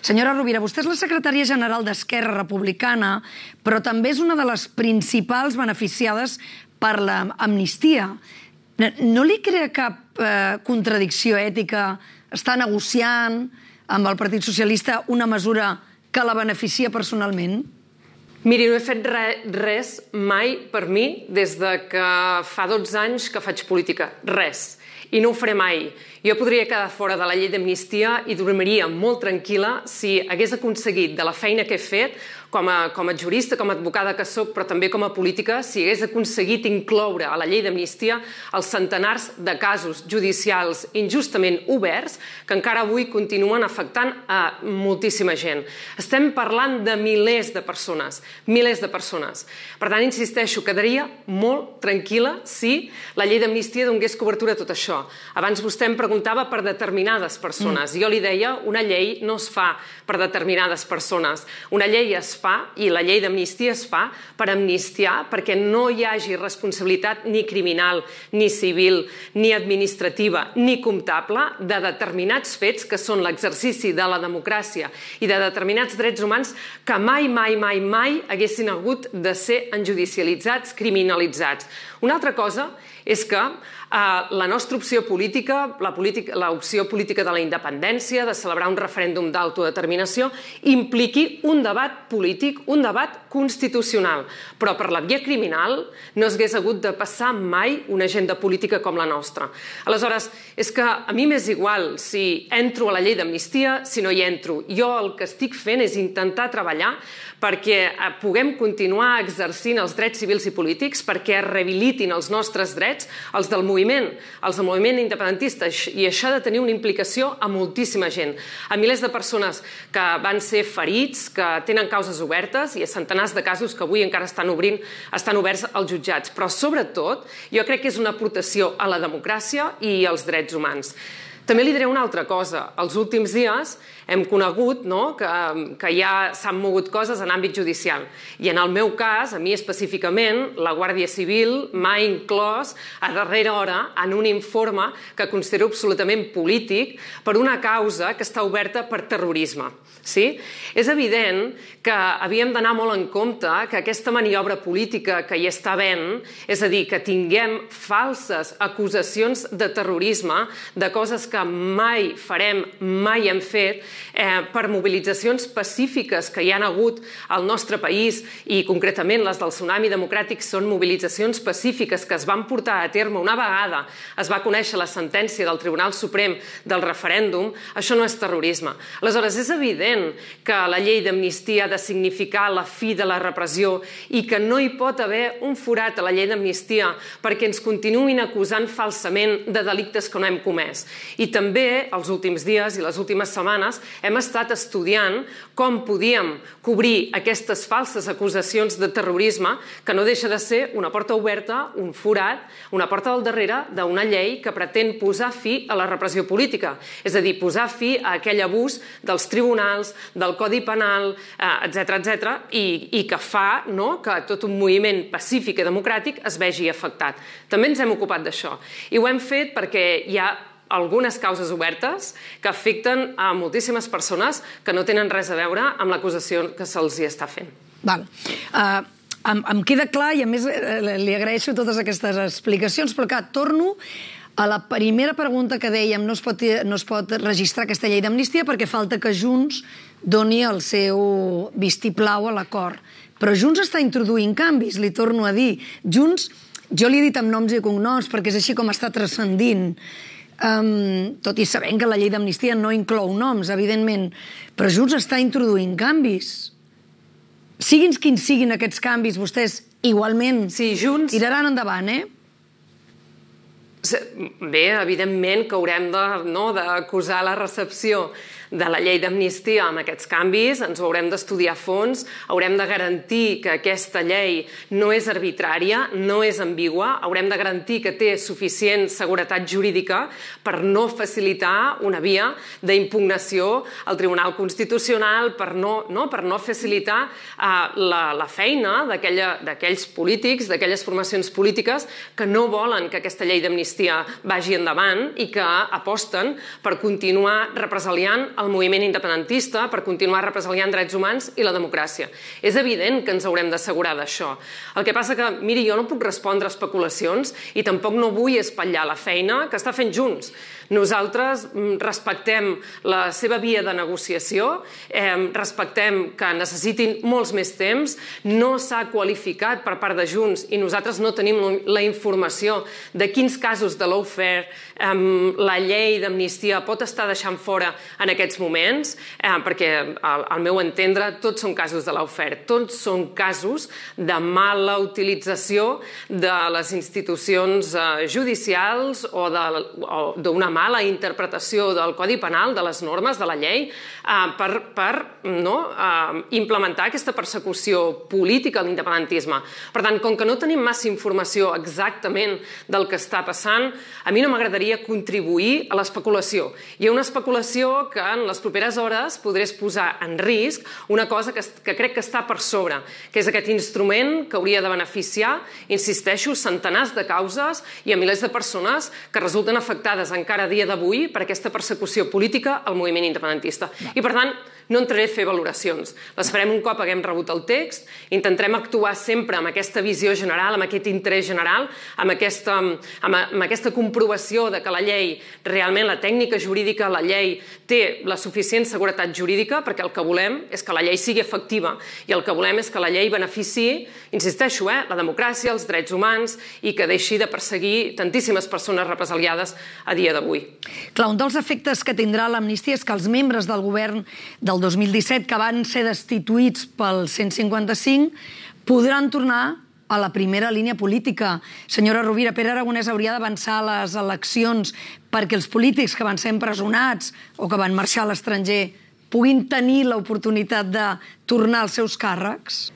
Senyora Rovira, vostè és la secretària general d'Esquerra Republicana, però també és una de les principals beneficiades per l'amnistia. No li crea cap contradicció ètica estar negociant amb el Partit Socialista una mesura que la beneficia personalment? Miri, no he fet res mai per mi des que fa 12 anys que faig política. Res. I no ho faré mai. Jo podria quedar fora de la llei d'amnistia i dormiria molt tranquil·la si hagués aconseguit de la feina que he fet com a jurista, com a advocada que soc, però també com a política, si hagués aconseguit incloure a la llei d'amnistia els centenars de casos judicials injustament oberts que encara avui continuen afectant a moltíssima gent. Estem parlant de milers de persones, milers de persones. Per tant, insisteixo, quedaria molt tranquil·la si la llei d'amnistia donés cobertura a tot això. Abans vostè em preguntava per determinades persones. Jo li deia, una llei no es fa per determinades persones. Una llei es fa, i la llei d'amnistia es fa, per amnistiar, perquè no hi hagi responsabilitat ni criminal, ni civil, ni administrativa, ni comptable de determinats fets que són l'exercici de la democràcia i de determinats drets humans que mai, mai, mai, mai haguessin hagut de ser enjudicialitzats, criminalitzats. Una altra cosa és que la nostra opció política, l'opció política de la independència, de celebrar un referèndum d'autodeterminació, impliqui un debat polític, un debat constitucional. Però per la via criminal no s'hagués hagut de passar mai una agenda política com la nostra. Aleshores, és que a mi m'és igual si entro a la llei d'amnistia, si no hi entro. Jo el que estic fent és intentar treballar perquè puguem continuar exercint els drets civils i polítics, perquè es rehabilitin els nostres drets, els del moviment independentista, i això ha de tenir una implicació a moltíssima gent, a milers de persones que van ser ferits, que tenen causes obertes, i a centenars de casos que avui encara estan oberts als jutjats. Però, sobretot, jo crec que és una aportació a la democràcia i als drets humans. També li diré una altra cosa. Els últims dies hem conegut que ja s'han mogut coses en àmbit judicial. I en el meu cas, a mi específicament, la Guàrdia Civil m'ha inclòs a darrera hora en un informe que considero absolutament polític per una causa que està oberta per terrorisme. És evident que havíem d'anar molt en compte que aquesta maniobra política que hi està havent, és a dir, que tinguem falses acusacions de terrorisme, de coses que mai farem, mai hem fet, per mobilitzacions pacífiques que hi ha hagut al nostre país, i concretament les del Tsunami Democràtic són mobilitzacions pacífiques que es van portar a terme una vegada es va conèixer la sentència del Tribunal Suprem del referèndum. Això no és terrorisme. Aleshores, és evident que la llei d'amnistia ha de significar la fi de la repressió i que no hi pot haver un forat a la llei d'amnistia perquè ens continuïn acusant falsament de delictes que no hem comès. I també, els últims dies i les últimes setmanes, hem estat estudiant com podíem cobrir aquestes falses acusacions de terrorisme, que no deixa de ser una porta oberta, un forat, una porta del darrere d'una llei que pretén posar fi a la repressió política. És a dir, posar fi a aquell abús dels tribunals, del Codi Penal, etc., i que fa que tot un moviment pacífic i democràtic es vegi afectat. També ens hem ocupat d'això. I ho hem fet perquè hi ha algunes causes obertes que afecten a moltíssimes persones que no tenen res a veure amb l'acusació que se'ls hi està fent. Em queda clar, i a més li agraeixo totes aquestes explicacions, però que torno a la primera pregunta que dèiem, no es pot registrar aquesta llei d'amnistia perquè falta que Junts doni el seu vistiplau a l'acord. Però Junts està introduint canvis, li torno a dir. Junts, jo li he dit amb noms i cognoms perquè és així com està transcendint, tot i sabent que la llei d'amnistia no inclou noms, evidentment, però Junts està introduint canvis. Siguin quins siguin aquests canvis, vostès igualment tiraran endavant, Bé, evidentment que haurem d'acusar la recepció de la llei d'amnistia amb aquests canvis, ens ho haurem d'estudiar a fons, haurem de garantir que aquesta llei no és arbitrària, no és ambigua, haurem de garantir que té suficient seguretat jurídica per no facilitar una via d'impugnació al Tribunal Constitucional, per no facilitar la feina d'aquells polítics, d'aquelles formacions polítiques que no volen que aquesta llei d'amnistia vagi endavant i que aposten per continuar represaliant el moviment independentista per continuar represaliant drets humans i la democràcia. És evident que ens haurem d'assegurar d'això. El que passa que, miri, jo no puc respondre a especulacions i tampoc no vull espatllar la feina que està fent Junts. Nosaltres respectem la seva via de negociació, respectem que necessitin molts més temps, no s'ha qualificat per part de Junts i nosaltres no tenim la informació de quins casos de lawfare la llei d'amnistia pot estar deixant fora en aquests moments, perquè al meu entendre tots són casos de lawfare, tots són casos de mala utilització de les institucions judicials o d'una mala interpretació del Codi Penal, de les normes, de la llei, per implementar aquesta persecució política a l'independentisme. Per tant, com que no tenim massa informació exactament del que està passant, a mi no m'agradaria contribuir a l'especulació. Hi ha una especulació que en les properes hores podrés posar en risc una cosa que crec que està per sobre, que és aquest instrument que hauria de beneficiar, insisteixo, centenars de causes i a milers de persones que resulten afectades encara a dia d'avui per aquesta persecució política al moviment independentista. I, per tant, no entraré a fer valoracions. Les farem un cop haguem rebut el text, intentarem actuar sempre amb aquesta visió general, amb aquest interès general, amb aquesta comprovació de que la llei, realment la tècnica jurídica, la llei té la suficient seguretat jurídica, perquè el que volem és que la llei sigui efectiva i el que volem és que la llei beneficiï, insisteixo, la democràcia, els drets humans i que deixi de perseguir tantíssimes persones represaliades a dia d'avui. Clar, un dels efectes que tindrà l'amnistia és que els membres del govern del 2017 que van ser destituïts pel 155 podran tornar a la primera línia política. Senyora Rovira, Pere Aragonès hauria d'avançar a les eleccions perquè els polítics que van ser empresonats o que van marxar a l'estranger puguin tenir l'oportunitat de tornar als seus càrrecs?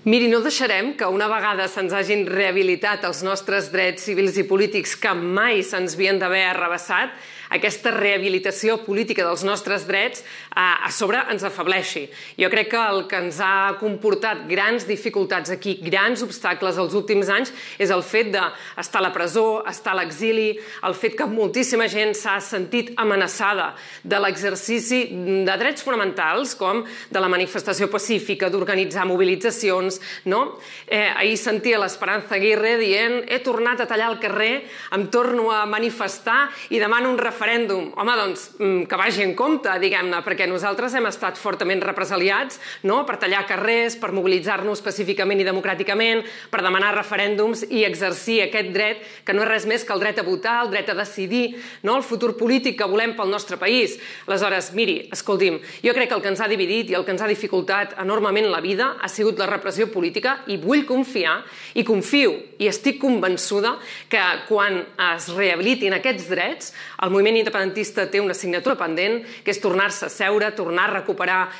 Miri, no deixarem que una vegada se'ns hagin rehabilitat els nostres drets civils i polítics que mai se'ns havien d'haver arrabassat, aquesta rehabilitació política dels nostres drets a sobre ens afebleixi. Jo crec que el que ens ha comportat grans dificultats aquí, grans obstacles els últims anys, és el fet d'estar a la presó, estar a l'exili, el fet que moltíssima gent s'ha sentit amenaçada de l'exercici de drets fonamentals, com de la manifestació pacífica, d'organitzar mobilitzacions. Ahir sentia l'Esperanza Aguirre dient «he tornat a tallar el carrer, em torno a manifestar i demano un referèndum». Home, doncs, que vagi en compte, diguem-ne, perquè nosaltres hem estat fortament represaliats per tallar carrers, per mobilitzar-nos pacíficament i democràticament, per demanar referèndums i exercir aquest dret, que no és res més que el dret a votar, el dret a decidir, el futur polític que volem pel nostre país. Aleshores, miri, escolti'm, jo crec que el que ens ha dividit i el que ens ha dificultat enormement la vida ha sigut la repressió política i vull confiar, i confio, i estic convençuda que quan es rehabilitin aquests drets, el moviment independentista té una assignatura pendent, que és tornar-se a seure, tornar a recuperar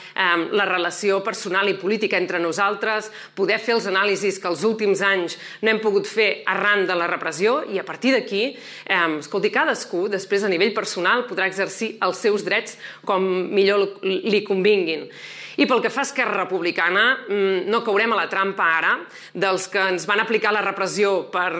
la relació personal i política entre nosaltres, poder fer els anàlisis que els últims anys no hem pogut fer arran de la repressió i a partir d'aquí, escolti, cadascú després a nivell personal podrà exercir els seus drets com millor li convinguin. I pel que fa a Esquerra Republicana, no caurem a la trampa ara dels que ens van aplicar la repressió per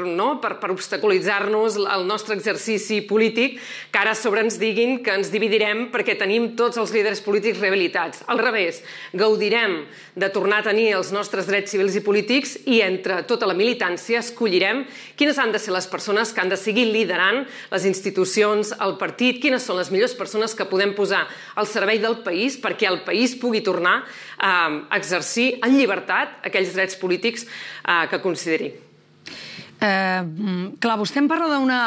obstaculitzar-nos el nostre exercici polític, que ara a sobre ens diguin que ens dividirem perquè tenim tots els líders polítics rehabilitats. Al revés, gaudirem de tornar a tenir els nostres drets civils i polítics i entre tota la militància escollirem quines han de ser les persones que han de seguir liderant les institucions, el partit, quines són les millors persones que podem posar al servei del país perquè el país pugui tornar a exercir en llibertat aquells drets polítics que consideri. Clar, vostè em parla d'una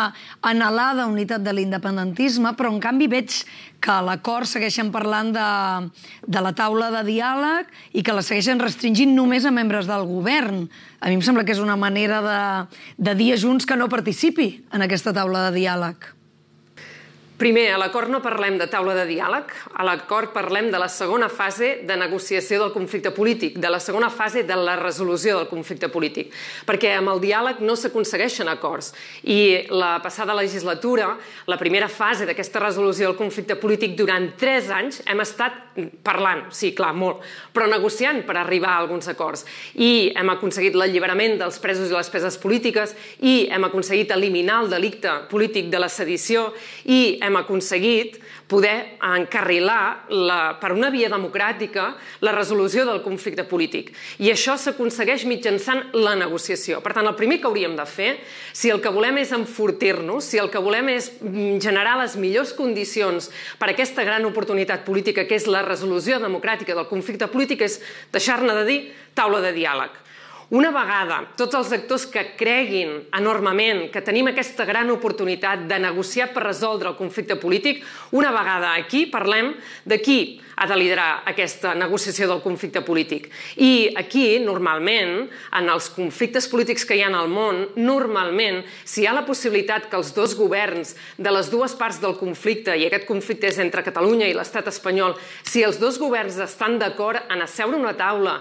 anhelada unitat de l'independentisme, però en canvi veig que a l'acord segueixen parlant de la taula de diàleg i que la segueixen restringint només a membres del govern. A mi em sembla que és una manera de dir a Junts que no participi en aquesta taula de diàleg. Primer, a l'acord no parlem de taula de diàleg, a l'acord parlem de la segona fase de negociació del conflicte polític, de la segona fase de la resolució del conflicte polític, perquè amb el diàleg no s'aconsegueixen acords. I la passada legislatura, la primera fase d'aquesta resolució del conflicte polític, durant 3 anys hem estat parlant, sí, clar, molt, però negociant per arribar a alguns acords. I hem aconseguit l'alliberament dels presos i les preses polítiques, i hem aconseguit eliminar el delicte polític de la sedició, i hem aconseguit poder encarrilar per una via democràtica la resolució del conflicte polític. I això s'aconsegueix mitjançant la negociació. Per tant, el primer que hauríem de fer, si el que volem és enfortir-nos, si el que volem és generar les millors condicions per a aquesta gran oportunitat política que és la resolució democràtica del conflicte polític, és deixar-ne de dir taula de diàleg. Una vegada tots els actors que creguin enormement que tenim aquesta gran oportunitat de negociar per resoldre el conflicte polític, una vegada aquí parlem de qui ha de liderar aquesta negociació del conflicte polític. I aquí, normalment, en els conflictes polítics que hi ha al món, normalment, si hi ha la possibilitat que els dos governs de les dues parts del conflicte, i aquest conflicte és entre Catalunya i l'estat espanyol, si els dos governs estan d'acord en asseure una taula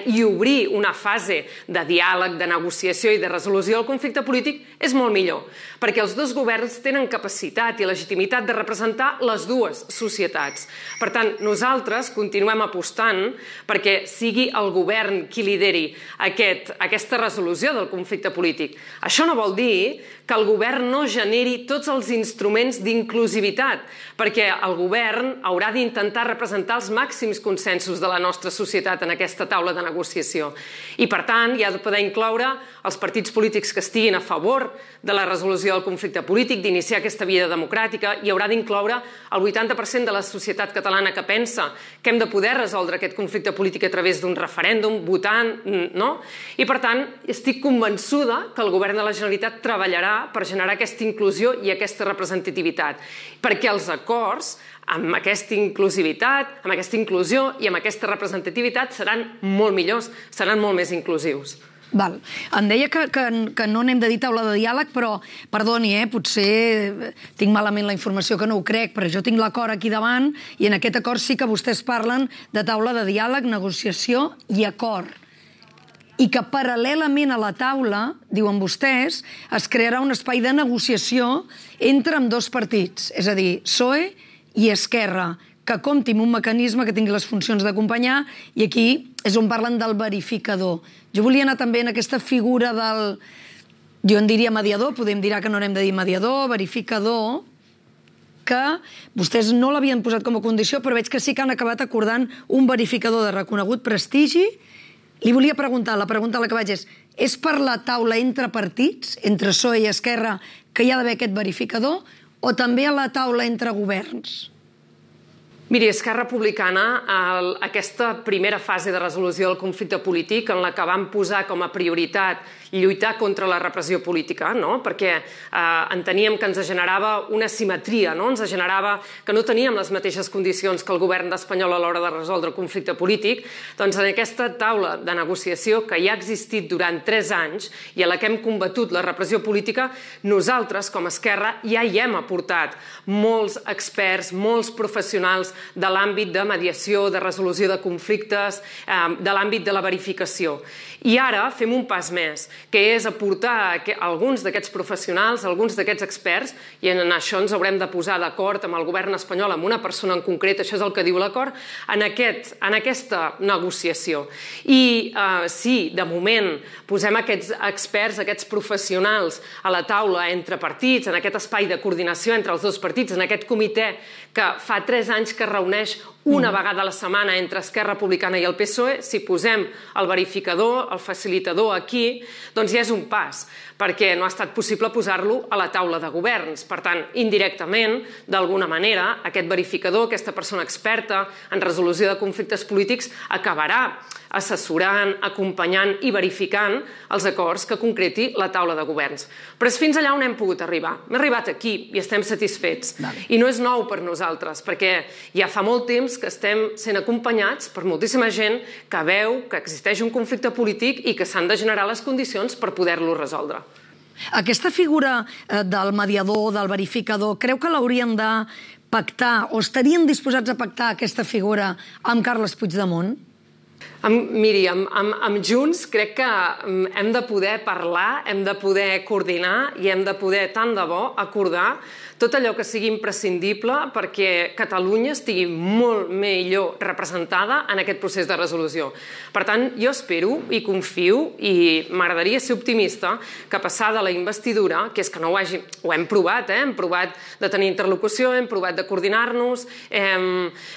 i obrir una fase de diàleg, de negociació i de resolució del conflicte polític, és molt millor, perquè els dos governs tenen capacitat i legitimitat de representar les dues societats. Per tant, nosaltres continuem apostant perquè sigui el govern qui lideri aquesta resolució del conflicte polític. Això no vol dir que el govern no generi tots els instruments d'inclusivitat, perquè el govern haurà d'intentar representar els màxims consensos de la nostra societat en aquesta taula de negociació. I, per tant, hi ha de poder incloure els partits polítics que estiguin a favor de la resolució del conflicte polític, d'iniciar aquesta via democràtica, i haurà d'incloure el 80% de la societat catalana que pensa que hem de poder resoldre aquest conflicte polític a través d'un referèndum, votant, no? I, per tant, estic convençuda que el govern de la Generalitat treballarà per generar aquesta inclusió i aquesta representativitat, perquè els acords amb aquesta inclusivitat, amb aquesta inclusió i amb aquesta representativitat seran molt millors, seran molt més inclusius. Val. Em deia que no n'hem de dir taula de diàleg, però, perdoni, potser tinc malament la informació, que no ho crec, però jo tinc l'acord aquí davant i en aquest acord sí que vostès parlen de taula de diàleg, negociació i acord. I que paral·lelament a la taula, diuen vostès, es crearà un espai de negociació entre ambdós partits, és a dir, PSOE i Esquerra, que compti amb un mecanisme que tingui les funcions d'acompanyar, i aquí és on parlen del verificador. Jo volia anar també en aquesta figura del, jo en diria mediador, podem dir que no n'hem de dir mediador, verificador, que vostès no l'havien posat com a condició, però veig que sí que han acabat acordant un verificador de reconegut prestigi. Li volia preguntar, la pregunta a la que vaig és per la taula entre partits, entre PSOE i Esquerra, que hi ha d'haver aquest verificador, o també a la taula entre governs? Miri, Esquerra Republicana, aquesta primera fase de resolució del conflicte polític en la que vam posar com a prioritat lluitar contra la repressió política, no? Perquè enteníem que ens generava una simetria, no? Ens generava que no teníem les mateixes condicions que el govern espanyol a l'hora de resoldre el conflicte polític. Doncs en aquesta taula de negociació que ja ha existit durant 3 anys i a la que hem combatut la repressió política, nosaltres, com a Esquerra, ja hi hem aportat molts experts, molts professionals de l'àmbit de mediació, de resolució de conflictes, de l'àmbit de la verificació. I ara fem un pas més, que és aportar alguns d'aquests professionals, alguns d'aquests experts, i en això ens haurem de posar d'acord amb el govern espanyol, amb una persona en concret, això és el que diu l'acord, en aquesta negociació. I si, de moment, posem aquests experts, aquests professionals a la taula entre partits, en aquest espai de coordinació entre els dos partits, en aquest comitè que fa 3 anys que reuneix una vegada a la setmana entre Esquerra Republicana i el PSOE, si posem el verificador, el facilitador aquí, doncs ja és un pas, perquè no ha estat possible posar-lo a la taula de governs. Per tant, indirectament, d'alguna manera, aquest verificador, aquesta persona experta en resolució de conflictes polítics, acabarà assessorant, acompanyant i verificant els acords que concreti la taula de governs. Però és fins allà on hem pogut arribar. Hem arribat aquí i estem satisfets. I no és nou per nosaltres, perquè ja fa molt temps que estem sent acompanyats per moltíssima gent que veu que existeix un conflicte polític i que s'han de generar les condicions per poder-lo resoldre. Aquesta figura del mediador, del verificador, creu que l'haurien de pactar o estarien disposats a pactar aquesta figura amb Carles Puigdemont? Miri, amb Junts crec que hem de poder parlar, hem de poder coordinar i hem de poder, tant de bo, acordar tot allò que sigui imprescindible perquè Catalunya estigui molt millor representada en aquest procés de resolució. Per tant, jo espero i confio, i m'agradaria ser optimista, que passada la investidura, que és que no ho hem provat, hem provat de tenir interlocució, hem provat de coordinar-nos,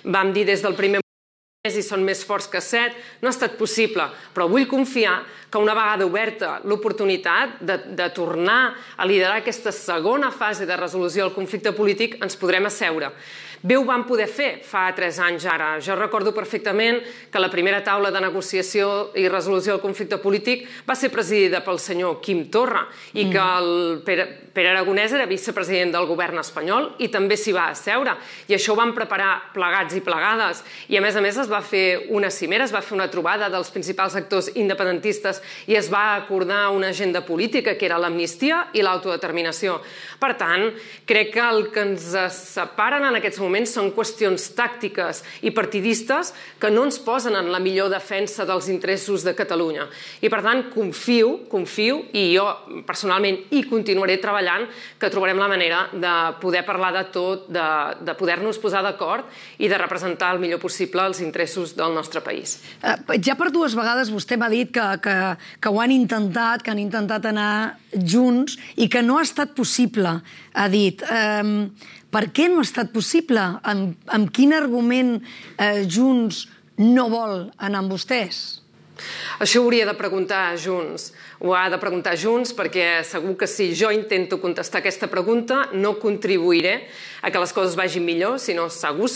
vam dir des del primer i són més forts que 7, no ha estat possible, però vull confiar que una vegada oberta l'oportunitat de tornar a liderar aquesta segona fase de resolució del conflicte polític, ens podrem asseure. Bé ho vam poder fer fa 3 anys ara. Jo recordo perfectament que la primera taula de negociació i resolució del conflicte polític va ser presidida pel senyor Quim Torra i que el Pere Aragonès era vicepresident del govern espanyol i també s'hi va asseure. I això ho vam preparar plegats i plegades. I a més es va fer una cimera, es va fer una trobada dels principals actors independentistes i es va acordar una agenda política que era l'amnistia i l'autodeterminació. Per tant, crec que el que ens separen en aquests moments són qüestions tàctiques i partidistes que no ens posen en la millor defensa dels interessos de Catalunya. I per tant, confio, i jo personalment hi continuaré treballant, que trobarem la manera de poder parlar de tot, de poder-nos posar d'acord i de representar el millor possible els interessos del nostre país. Ja per 2 vegades vostè m'ha dit que ho han intentat, que han intentat anar junts i que no ha estat possible, ha dit. Per què no ha estat possible? Amb quin argument Junts no vol anar amb vostès? Això ho hauria de preguntar a Junts. Ho ha de preguntar a Junts perquè segur que si jo intento contestar aquesta pregunta no contribuiré a que les coses vagin millor, sinó segur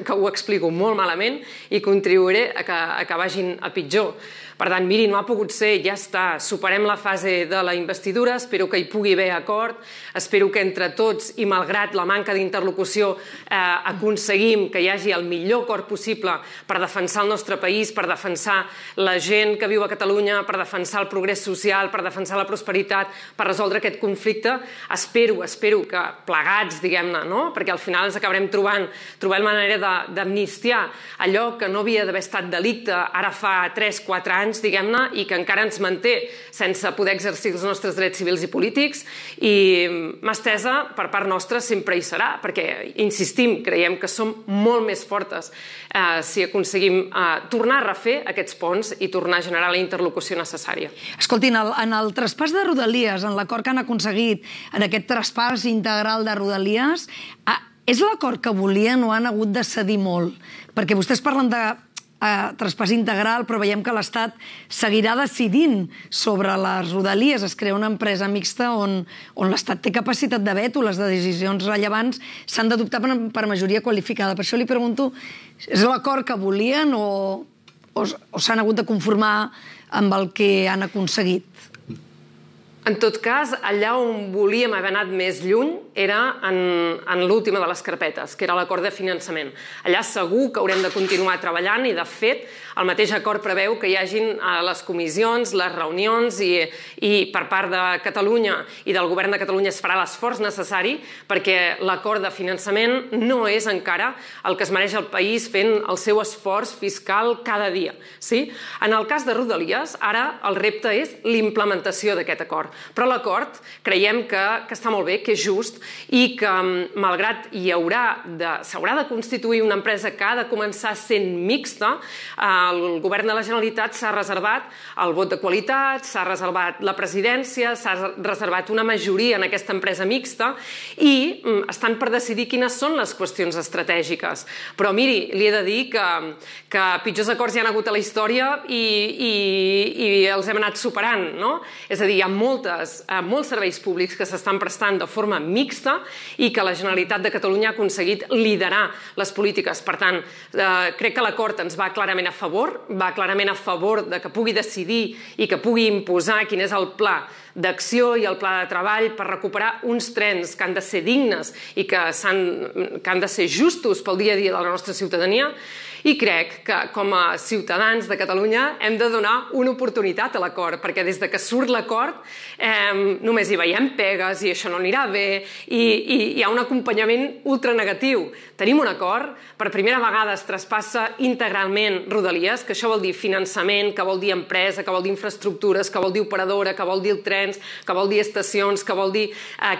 que ho explico molt malament i contribuiré a que vagin a pitjor. Per tant, miri, no ha pogut ser, ja està. Superem la fase de la investidura, espero que hi pugui haver acord, espero que entre tots i malgrat la manca d'interlocució aconseguim que hi hagi el millor acord possible per defensar el nostre país, per defensar la gent que viu a Catalunya, per defensar el progrés social, per defensar la prosperitat, per resoldre aquest conflicte. Espero que plegats, diguem-ne, no? Perquè al final ens acabarem trobant manera d'amnistiar allò que no havia d'haver estat delicte ara fa 3-4 anys, diguem-ne, i que encara ens manté sense poder exercir els nostres drets civils i polítics, i mà estesa per part nostra sempre hi serà, perquè, insistim, creiem que som molt més fortes si aconseguim tornar a refer aquests ponts i tornar a generar la interlocució necessària. Escoltin, en el traspàs de Rodalies, en l'acord que han aconseguit, en aquest traspàs integral de Rodalies, és l'acord que volien o han hagut de cedir molt? Perquè vostès parlen de traspàs integral, però veiem que l'Estat seguirà decidint sobre les Rodalies. Es crea una empresa mixta on l'Estat té capacitat de veto, les decisions rellevants s'han d'adoptar per majoria qualificada. Per això li pregunto, és l'acord que volien o s'han hagut de conformar amb el que han aconseguit? En tot cas, allà on volíem haver anat més lluny era en l'última de les carpetes, que era l'acord de finançament. Allà segur que haurem de continuar treballant i, de fet, el mateix acord preveu que hi hagin les comissions, les reunions i per part de Catalunya i del govern de Catalunya es farà l'esforç necessari perquè l'acord de finançament no és encara el que es mereix el país fent el seu esforç fiscal cada dia. En el cas de Rodalies, ara el repte és l'implementació d'aquest acord. Però l'acord creiem que està molt bé, que és just i que, malgrat s'haurà de constituir una empresa que ha de començar sent mixta, el govern de la Generalitat s'ha reservat el vot de qualitat, s'ha reservat la presidència, s'ha reservat una majoria en aquesta empresa mixta i estan per decidir quines són les qüestions estratègiques. Però miri, li he de dir que pitjors acords hi ha hagut a la història i els hem anat superant, no? És a dir, hi ha molts serveis públics que s'estan prestant de forma mixta i que la Generalitat de Catalunya ha aconseguit liderar les polítiques. Per tant, crec que l'acord ens va clarament a favor de que pugui decidir i que pugui imposar quin és el pla d'acció i el pla de treball per recuperar uns trens que han de ser dignes i que han de ser justos pel dia a dia de la nostra ciutadania. I crec que, com a ciutadans de Catalunya, hem de donar una oportunitat a l'acord, perquè des de que surt l'acord només hi veiem pegues i això no anirà bé i hi ha un acompanyament ultranegatiu. Tenim un acord, per primera vegada es traspassa integralment Rodalies, que això vol dir finançament, que vol dir empresa, que vol dir infraestructures, que vol dir operadora, que vol dir trens, que vol dir estacions, que vol dir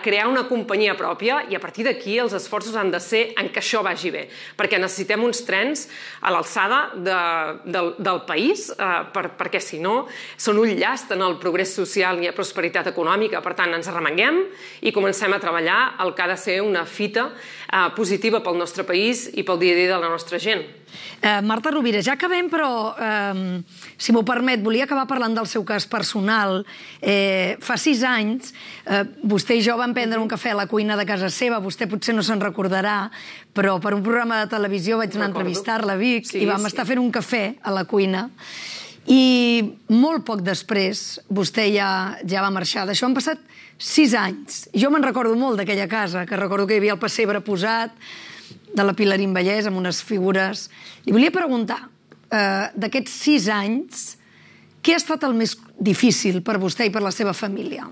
crear una companyia pròpia, i a partir d'aquí els esforços han de ser en que això vagi bé, perquè necessitem uns trens a l'alçada del país, perquè si no són un llast en el progrés social i la prosperitat econòmica. Per tant, ens arremanguem i comencem a treballar el que ha de ser una fita positiva pel nostre país i pel dia a dia de la nostra gent. Marta Rovira, ja acabem, però, si m'ho permet, volia acabar parlant del seu cas personal. Fa 6 anys, vostè i jo vam prendre un cafè a la cuina de casa seva, vostè potser no se'n recordarà, però per un programa de televisió vaig anar a entrevistar-la a Vic i vam estar fent un cafè a la cuina. I molt poc després vostè ja va marxar. D'això han passat 6 anys. Jo me'n recordo molt d'aquella casa, que recordo que hi havia el pessebre posat, de la Pilarín Vallès, amb unes figures. Li volia preguntar, d'aquests 6 anys, què ha estat el més difícil per vostè i per la seva família?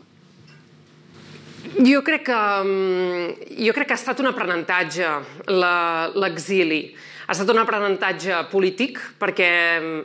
Jo crec que ha estat un aprenentatge, l'exili. Ha estat un aprenentatge polític perquè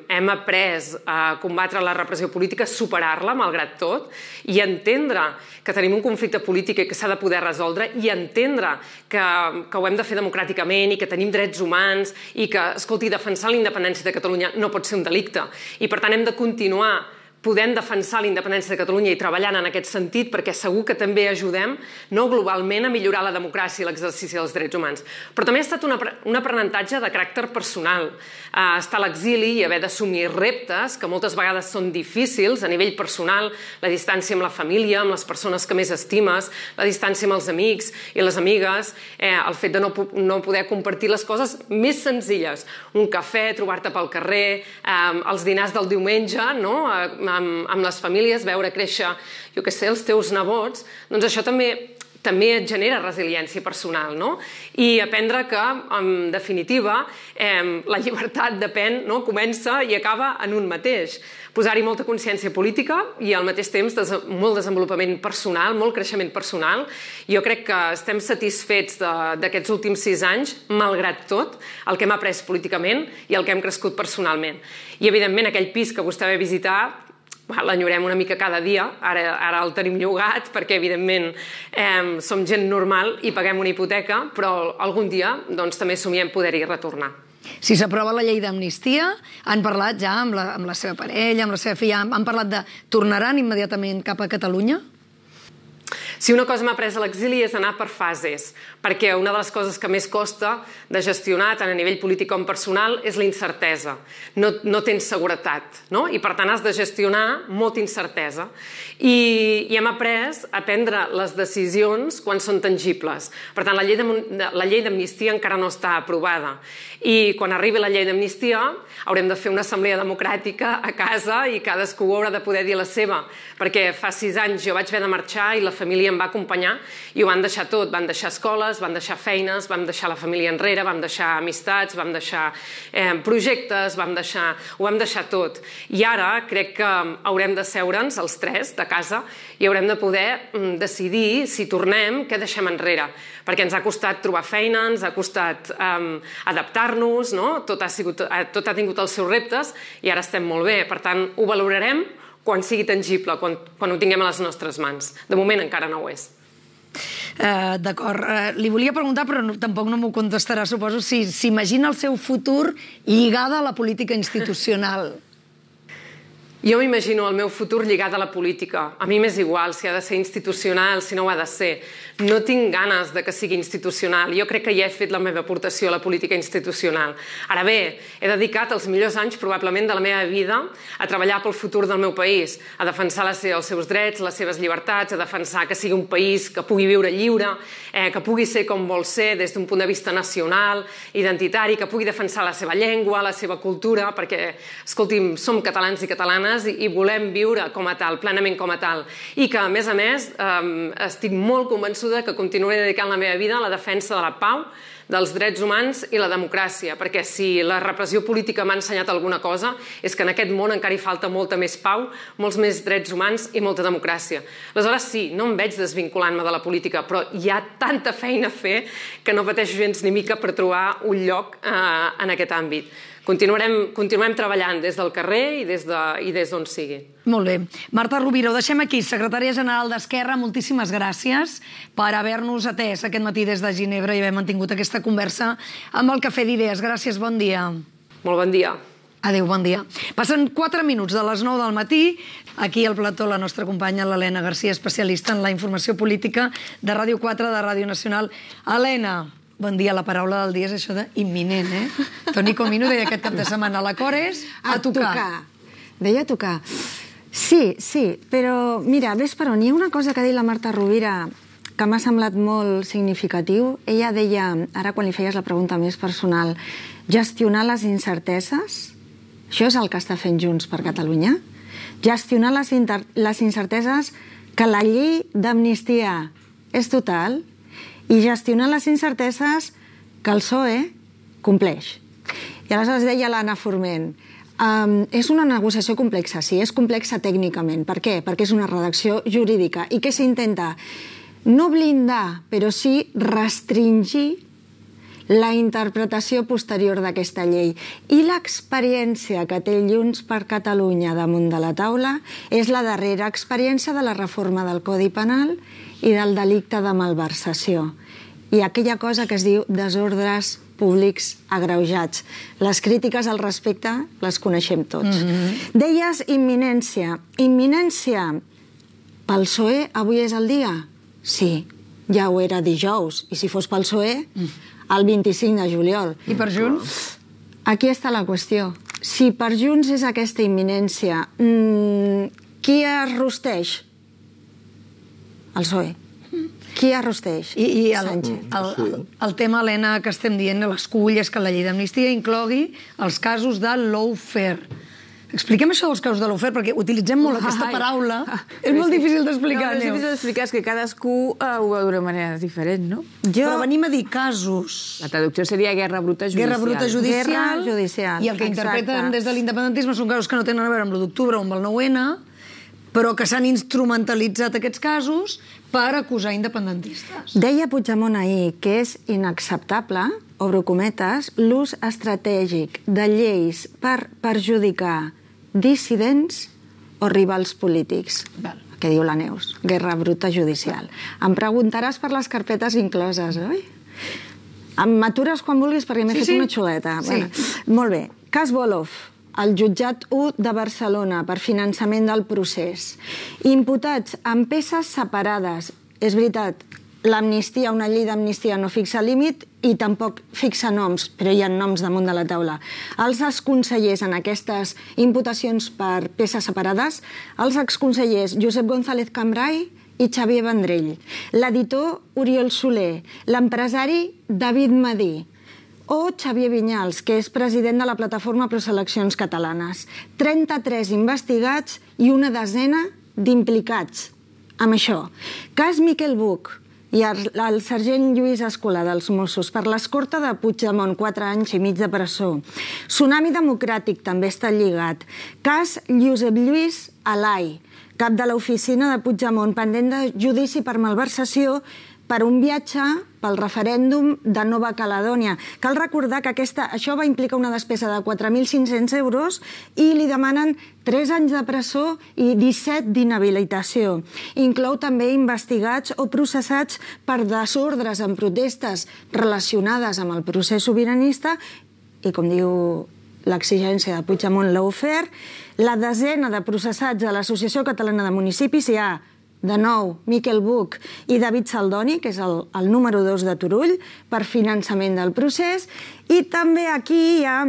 hem après a combatre la repressió política, superar-la, malgrat tot, i entendre que tenim un conflicte polític i que s'ha de poder resoldre, i entendre que ho hem de fer democràticament i que tenim drets humans i que, escolti, defensar la independència de Catalunya no pot ser un delicte. I, per tant, hem de continuar podem defensar la independència de Catalunya i treballant en aquest sentit, perquè segur que també ajudem no globalment a millorar la democràcia i l'exercici dels drets humans. Però també ha estat un aprenentatge de caràcter personal. Estar a l'exili i haver d'assumir reptes que moltes vegades són difícils a nivell personal, la distància amb la família, amb les persones que més estimes, la distància amb els amics i les amigues, el fet de no poder compartir les coses més senzilles. Un cafè, trobar-te pel carrer, els dinars del diumenge, no?, amb les famílies, veure créixer, jo què sé, els teus nebots, doncs això també et genera resiliència personal, no? I aprendre que, en definitiva, la llibertat depèn, comença i acaba en un mateix. Posar-hi molta consciència política i al mateix temps molt desenvolupament personal, molt creixement personal. Jo crec que estem satisfets d'aquests últims 6 anys, malgrat tot, el que hem après políticament i el que hem crescut personalment. I, evidentment, aquell pis que vostè va visitar, l'enyorem una mica cada dia, ara el tenim llogat perquè, evidentment, som gent normal i paguem una hipoteca, però algun dia també somiem poder-hi retornar. Si s'aprova la llei d'amnistia, han parlat ja amb la seva parella, amb la seva filla, han parlat de tornaran immediatament cap a Catalunya? Si una cosa m'ha après a l'exili és anar per fases, perquè una de les coses que més costa de gestionar, tant a nivell polític com personal, és la incertesa. No tens seguretat, no? I per tant has de gestionar molta incertesa. I hem après a prendre les decisions quan són tangibles. Per tant, la llei d'amnistia encara no està aprovada. I quan arribi la llei d'amnistia haurem de fer una assemblea democràtica a casa i cadascú haurà de poder dir la seva, perquè fa 6 anys jo vaig haver de marxar i la família em va acompanyar i ho van deixar tot. Van deixar escoles, van deixar feines, vam deixar la família enrere, vam deixar amistats, vam deixar projectes, ho vam deixar tot. I ara crec que haurem de seure'ns els 3 de casa i haurem de poder decidir si tornem, què deixem enrere, perquè ens ha costat trobar feina, ens ha costat adaptar-nos, tot ha tingut els seus reptes i ara estem molt bé. Per tant, ho valorarem quan sigui tangible, quan ho tinguem a les nostres mans. De moment encara no ho és. D'acord. Li volia preguntar, però tampoc no m'ho contestarà, suposo, si s'imagina el seu futur lligada a la política institucional. Jo m'imagino el meu futur lligat a la política. A mi m'és igual si ha de ser institucional, si no ho ha de ser. No tinc ganes de que sigui institucional. Jo crec que ja he fet la meva aportació a la política institucional. Ara bé, he dedicat els millors anys probablement de la meva vida a treballar pel futur del meu país, a defensar els seus drets, les seves llibertats, a defensar que sigui un país que pugui viure lliure, que pugui ser com vol ser des d'un punt de vista nacional, identitari, que pugui defensar la seva llengua, la seva cultura, perquè, escolti'm, som catalans i catalanes i volem viure com a tal, plenament com a tal. I que, a més, estic molt convençuda que continuaré dedicant la meva vida a la defensa de la pau, dels drets humans i la democràcia, perquè si la repressió política m'ha ensenyat alguna cosa és que en aquest món encara hi falta molta més pau, molts més drets humans i molta democràcia. Aleshores sí, no em veig desvinculant-me de la política, però hi ha tanta feina a fer que no pateixo gens ni mica per trobar un lloc en aquest àmbit. Continuem treballant des del carrer i des d'on sigui. Molt bé. Marta Rovira, ho deixem aquí. Secretària General d'Esquerra, moltíssimes gràcies per haver-nos atès aquest matí des de Ginebra i haver mantingut aquesta conversa amb el Cafè d'Idees. Gràcies, bon dia. Molt bon dia. Adéu, bon dia. Passen 4 minuts de les 9 del matí. Aquí al plató la nostra companya, l'Helena Garcia, especialista en la informació política de Ràdio 4, de Ràdio Nacional. Helena, bon dia. La paraula del dia és això d'imminent, Toni Comino deia aquest cap de setmana, l'acord és a tocar. Deia a tocar. Sí, però mira, ves per on. Hi ha una cosa que ha dit la Marta Rovira que m'ha semblat molt significatiu. Ella deia, ara quan li feies la pregunta més personal, gestionar les incerteses, això és el que està fent Junts per Catalunya? Gestionar les incerteses que la llei d'amnistia és total i gestionar les incerteses que el PSOE compleix. I aleshores deia l'Anna Forment, és una negociació complexa, sí, és complexa tècnicament. Per què? Perquè és una redacció jurídica. I què s'intenta? No blindar, però sí restringir la interpretació posterior d'aquesta llei. I l'experiència que té Junts per Catalunya damunt de la taula és la darrera experiència de la reforma del Codi Penal i del delicte de malversació. I aquella cosa que es diu desordres públics agreujats. Les crítiques al respecte les coneixem tots. Deies imminència. Imminència pel PSOE avui és el dia? Sí, ja ho era dijous. I si fos pel PSOE, el 25 de juliol. I per Junts? Aquí està la qüestió. Si per Junts és aquesta imminència, qui es rosteix? El PSOE. Qui arrosteix? I el tema, Helena, que estem dient, l'escull és que la llei d'amnistia inclogui els casos de lawfare. Expliquem això dels casos de lawfare, perquè utilitzem molt aquesta paraula. És molt difícil d'explicar, Neus. No, és difícil d'explicar, és que cadascú ho veu d'una manera diferent, no? Però venim a dir casos. La traducció seria guerra bruta judicial. Guerra bruta judicial. Guerra judicial. I el que interpreten des de l'independentisme són casos que no tenen a veure amb l'1 d'octubre o amb el 9-N, però que s'han instrumentalitzat aquests casos per acusar independentistes. Deia Puigdemont ahir que és inacceptable, obro cometes, l'ús estratègic de lleis per perjudicar dissidents o rivals polítics. Què diu la Neus? Guerra bruta judicial. Em preguntaràs per les carpetes incloses, oi? M'atures quan vulguis perquè m'he fet una xuleta. Sí. Molt bé. Cas Volov. El jutjat 1 de Barcelona per finançament del procés. Imputats amb peces separades. És veritat, l'amnistia, una llei d'amnistia no fixa límit i tampoc fixa noms, però hi ha noms damunt de la taula. Els exconsellers en aquestes imputacions per peces separades, els exconsellers Josep González Cambray i Xavier Vendrell, l'editor Oriol Soler, l'empresari David Madí, o Xavier Vinyals, que és president de la plataforma Proseleccions Catalanes. 33 investigats i una desena d'implicats amb això. Cas Miquel Buch i el sergent Lluís Escolà dels Mossos per l'escorta de Puigdemont, 4 anys i mig de presó. Tsunami Democràtic també està lligat. Cas Josep Lluís Alai, cap de l'oficina de Puigdemont, pendent de judici per malversació per un viatge pel referèndum de Nova Caledònia. Cal recordar que això va implicar una despesa de 4.500 euros i li demanen 3 anys de presó i 17 d'inhabilitació. Inclou també investigats o processats per desordres en protestes relacionades amb el procés sobiranista i, com diu l'exigència de Puigdemont lawfare, la desena de processats de l'Associació Catalana de Municipis hi ha de nou, Miquel Buch i David Saldoni, que és el número 2 de Turull, per finançament del procés. I també aquí hi ha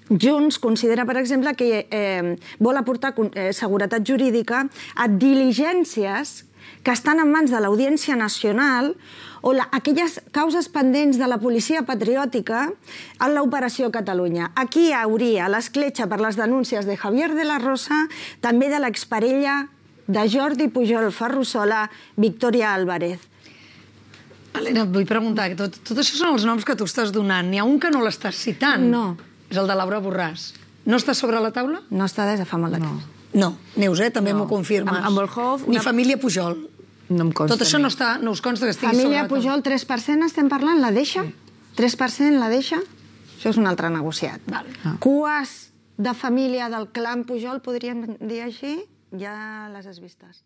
Junts considera, per exemple, que vol aportar seguretat jurídica a diligències que estan en mans de l'Audiència Nacional o aquelles causes pendents de la policia patriòtica en l'Operació Catalunya. Aquí hi hauria l'escletxa per les denúncies de Javier de la Rosa, també de l'exparella de Jordi Pujol Ferrusola, Victòria Álvarez. Helena, et vull preguntar, tot això són els noms que tu estàs donant. N'hi ha un que no l'estàs citant. No. És el de Laura Borràs. No està sobre la taula? No està des de fa molt de temps. No. Neus, també m'ho confirmes. Amb Volhov... Ni família Pujol. No em consta. Tot això no us consta que estigui sobre la Família taula. Pujol, 3% estem parlant? La deixa? 3% la deixa? Això és un altre negociat. Cues de família del clan Pujol, podríem dir així, ja les has vistes.